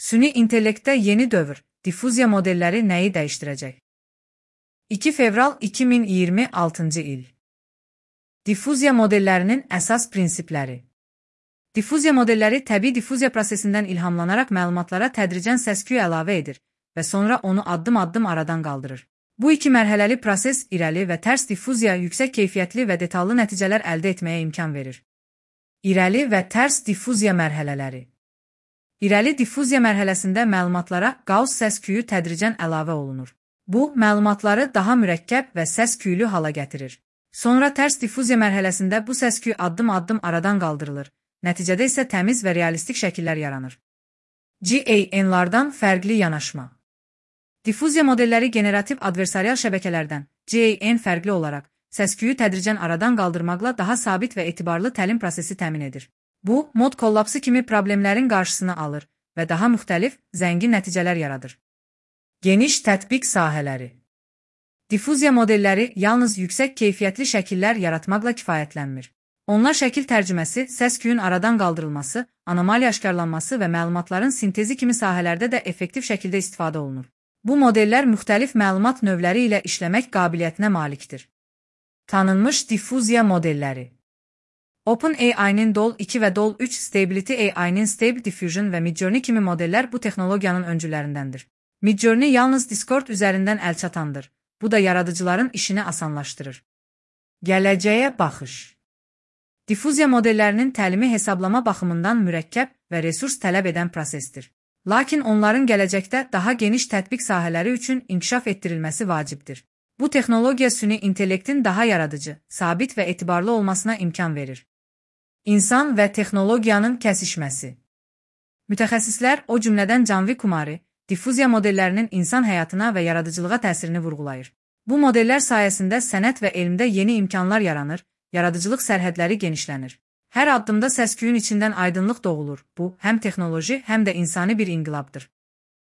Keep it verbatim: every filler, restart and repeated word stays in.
Süni intellektdə yeni dövr, diffuziya modelləri nəyi dəyişdirəcək? iki fevral iki min iyirmi altıncı il. Diffuziya modellərinin əsas prinsipləri. Diffuziya modelləri təbii diffuziya prosesindən ilhamlanaraq məlumatlara tədricən səs-küy əlavə edir və sonra onu addım-addım aradan qaldırır. Bu iki mərhələli proses irəli və tərs diffuziya yüksək keyfiyyətli və detallı nəticələr əldə etməyə imkan verir. İrəli və tərs diffuziya mərhələləri. İrəli diffuziya mərhələsində məlumatlara Gauss səs-küyü tədricən əlavə olunur. Bu, məlumatları daha mürəkkəb və səs-küylü hala gətirir. Sonra tərs diffuziya mərhələsində bu səs-küy addım-addım aradan qaldırılır. Nəticədə isə təmiz və realistik şəkillər yaranır. G A N-lardan fərqli yanaşma. Diffuziya modelləri generativ adversarial şəbəkələrdən G A N fərqli olaraq səs-küyü tədricən aradan qaldırmaqla daha sabit və etibarlı təlim prosesi təmin edir. Bu, mod kollapsı kimi problemlərin qarşısını alır və daha müxtəlif, zəngin nəticələr yaradır. Geniş tətbiq sahələri. Diffuziya modelləri yalnız yüksək keyfiyyətli şəkillər yaratmaqla kifayətlənmir. Onlar şəkil tərcüməsi, səs-küyün aradan qaldırılması, anomaliya aşkarlanması və məlumatların sintezi kimi sahələrdə də effektiv şəkildə istifadə olunur. Bu modellər müxtəlif məlumat növləri ilə işləmək qabiliyyətinə malikdir. Tanınmış diffuziya modelləri. OpenAI-nin D O L iki və D O L üç, Stability A I-nin Stable Diffusion və Midjourney kimi modellər bu texnologiyanın öncülərindəndir. Midjourney yalnız Discord üzərindən əlçatandır. Bu da yaradıcıların işini asanlaşdırır. Gələcəyə baxış. Diffuziya modellərinin təlimi hesablama baxımından mürəkkəb və resurs tələb edən prosesdir. Lakin onların gələcəkdə daha geniş tətbiq sahələri üçün inkişaf etdirilməsi vacibdir. Bu texnologiya süni intellektin daha yaradıcı, sabit və etibarlı olmasına imkan verir. İnsan və texnologiyanın kəsişməsi. Mütəxəssislər, o cümlədən Canvi Kumari, diffuziya modellərinin insan həyatına və yaradıcılığa təsirini vurğulayır. Bu modellər sayəsində sənət və elmdə yeni imkanlar yaranır, yaradıcılıq sərhədləri genişlənir. Hər addımda səs-küyün içindən aydınlıq doğulur. Bu, həm texnoloji, həm də insani bir inqilabdır.